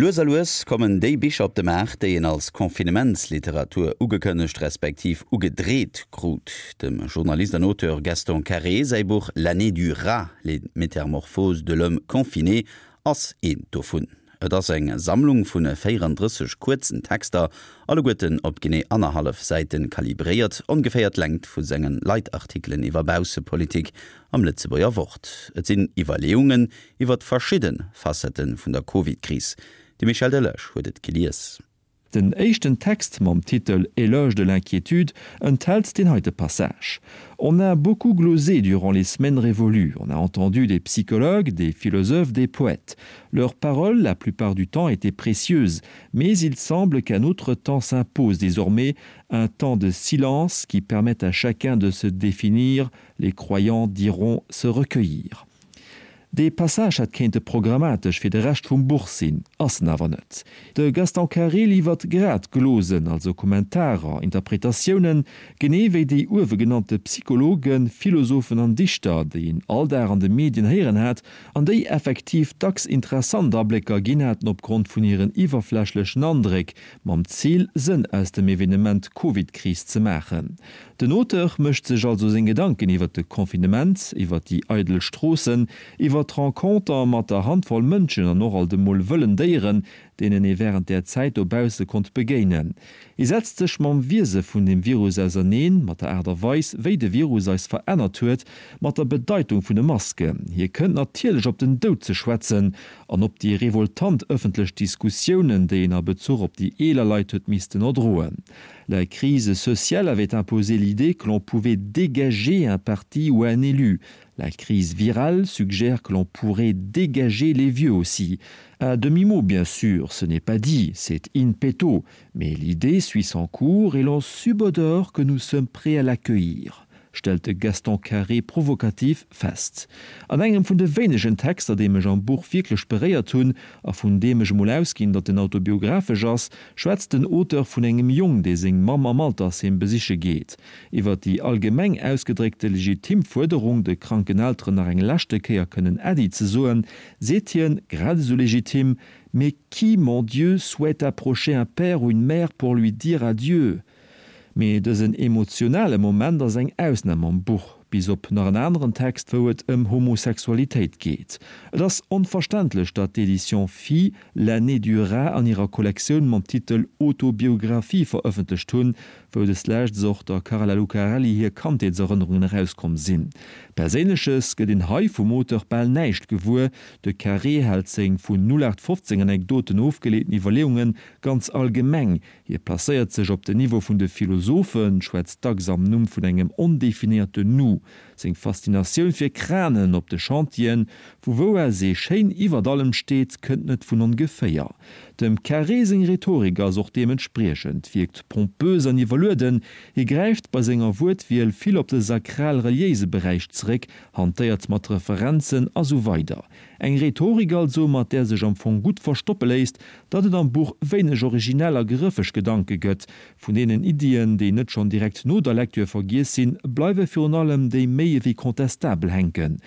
Lues a lues kommen déi Bicher op de Maart, déi een als Confinementsliteratur ugekënnegt respektiv ugedreet krut. Dem Journalist an Auteur Gaston Carré säi Buch L'année du rat, les métamorphoses de l'homme confiné ass eent dovun. Et ass eng Sammlung vu 34 kuerzen Texter, alleguerten op genee annerhallef Säiten kalibréiert, ongeféier d'Längt vu senge Leitartikelen iwwer Baussepolitik am Lëtzebuerger Wort. Et sinn Iwwerleeungen iwwer verschidde Facettë vun der Covid-Kris. De Michel Delage huet et gelies. Den éischten Text mam Titel Éloge de l'inquiétude enthält den heite Passage. On a beaucoup glosé durant les semaines révolues. On a entendu des psychologues, des philosophes, des poètes. Leurs paroles, la plupart du temps, étaient précieuses, mais il semble qu'un autre temps s'impose désormais, un temps de silence qui permet à chacun de se définir, les croyants diront se recueillir. Dee Passage hätt kéinte programmatesch fir de Rescht vum Buch sinn, ass en awer net. De Gaston Carré liwwert grad Glosen, also Kommentarer, Interpretatiounen, genee wéi déi uewe genannte Psychologen, Philosophen an Dichter, déi een all Dag an de Medien héieren hat an déi effektiv dacks interessant Ablécker ginn haten opgrond vun hiren iwwerflächlechen Andréck, mam Zil, Sënn aus dem Evenement Covid-Kris ze maachen. Den Auteur mécht sech also seng Gedanken iwwer de Confinement, iwwer déi eidel Stroossen, iwwer d'Renconter mat der Handvoll Mënschen an och alt emol wëllen Déieren, deenen ee wärend där Zäit dobausse konnt begéinen. Hie setzt sech mam Wiese vun dem Virus auserneen, mat der Aart a Weis, wéi de Virus eis verännert huet, mat der Bedeitung vun de Masken. Hie kënnt natierlech op den Doud ze schwätzen an op déi revoltant ëffentlech Diskussiounen, déi een a Bezuch op déi eeler Leit huet missten erdroen. La crise sociale avait imposé l'idée que l'on pouvait dégager un parti ou un élu. La crise virale suggère que l'on pourrait dégager les vieux aussi. À demi-mot, bien sûr, ce n'est pas dit, c'est in petto, mais l'idée suit son cours et l'on subodore que nous sommes prêts à l'accueillir stellt de Gaston Carré provokativ fest. An engem vun de wéinegen Texter, déi mech am Buch wierklech beréiert hunn, a vun deem ech emol ausginn, datt en autobiographesch ass, schwätzt den Auteur vun engem Jong, dee seng Mamm am Altersheem besiche geet. Iwwer déi allgemeng ausgedréckte legitim Fuerderung, de kranken Elteren nach eng leschte Kéier kënnen Äddi ze soen, seet hien, grad esou legitim, Mais qui, mon Dieu, souhaite approcher un père ou une mère pour lui dire adieu? Mee dësen emotionale Moment ass eng Ausnam am Buch, bis op nach en aneren Text, wou et ëm Homosexualitéit geet. Et ass onverständlech, datt d'Éditions Phi L'année du rat an hirer Kollektioun mam Titel Autobiographie verëffentlecht hunn, wou deslescht och der Carla Lucarelli hir Kandheetserënnerungen erauskomm sinn. Perséinleches gëtt een hei vum Auteur bal näischt gewuer, de Carré hält seng vun 0815 Anekdoten ofgeleeten Iwwerleeunge ganz allgemeng, Hie placéiert sech op den Niveau vun de Philosophen, schwätzt dacks am Numm vun engem ondefinéierte Nous. Seng Faszinatioun fir Kranen op de Chantieren, vu wou aus ee schéin iwwert allem steet, kënnt net vun ongeféier. Dem Carré seng Rhetorik ass och deementspriechend, wierkt pompös an iwwerlueden. Hie gräift bei senger Wuertwiel vill op de sakral-reliéise Beräich zeréck, hantéiert mat Referenzen a sou weider. Eng Rhetorik also, mat där sech am Fong gutt verstoppe léisst, datt et am Buch wéineg originell a grëffeg Gedanke gëtt. Vun deenen Iddien, déi net schonn direkt no der Lektür vergiess sinn, bleiwe virun allem déi méi ewéi contestabel hänken.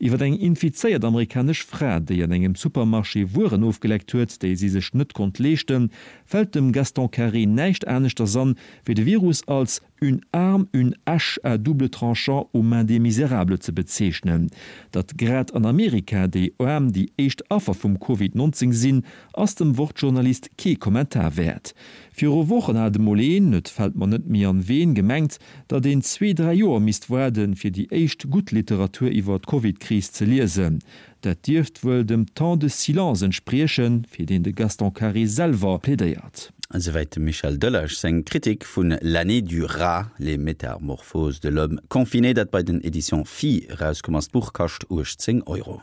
Iwwer eng infizéiert amerikanesch Fra, déi an engem Supermarché Wueren ofgeleckt huet, déi si sech net konnt leeschten, fält dem Gaston Carré näischt aneschters an, wéi de Virus als une arme, une hache à double tranchant aux mains des misérables ze bezeechnen. Datt grad an Amerika déi Aarm déi éischt Affer vum Covid 19 sinn, ass dem Wort-Journalist kee Kommentar wäert. Viru Wochen hat emol een, et fält mer net méi an ween, gemengt, datt een zwee, dräi Joer misst waarden, fir déi éischt gutt Literatur iwwer d'Covid-Kris ze liesen. Dat dierft wuel dem Temps de silence entspriechen, fir deen de Gaston Carré selwer plädéiert. Esouwäit dem Michel Delage seng Kritik vun L'année du rat, les métamorphoses de l'homme confiné, dat bei den Editions Phi erauskomm ass. D'Buch kascht 18 Euro.